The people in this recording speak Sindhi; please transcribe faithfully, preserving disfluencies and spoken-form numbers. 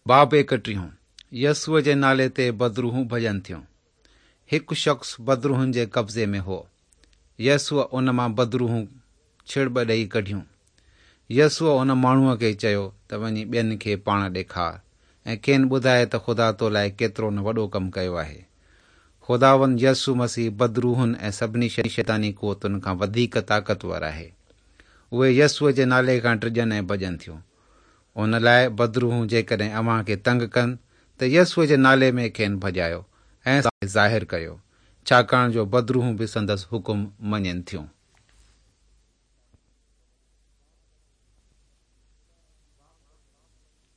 باب ايڪٽيهون، يسوع جي نالي تي بدروحون ڀڄن ٿيون. هڪ شخص بدروحن جي قبضي ۾ هو. يسوع ان مان بدروحون ڇڙٻ ڏيئي ڪڍيون. يسوع ان ماڻهوءَ کي چيو ته وڃي ٻين کي پاڻ ڏيکار ۽ کين ٻڌائي ته خدا تو لاءِ ڪيترو نه وڏو ڪم ڪيو آهي. خداوند يسوع مسيح بدروحن ۽ سڀني شيطاني قوتن کان وڌيڪ طاقتور آهي. اهي يسوع جي نالي کان ڊڄن ۽ ڀڄن ٿيون. ان لاءِ بدروحون جيڪڏهن اوهان کي تنگ ڪن ته يسوع جي نالي ۾ کين ڀڄايو ۽ ظاهر ڪيو، ڇاڪاڻ جو بدروحون به سندس حڪم مڃين ٿيون.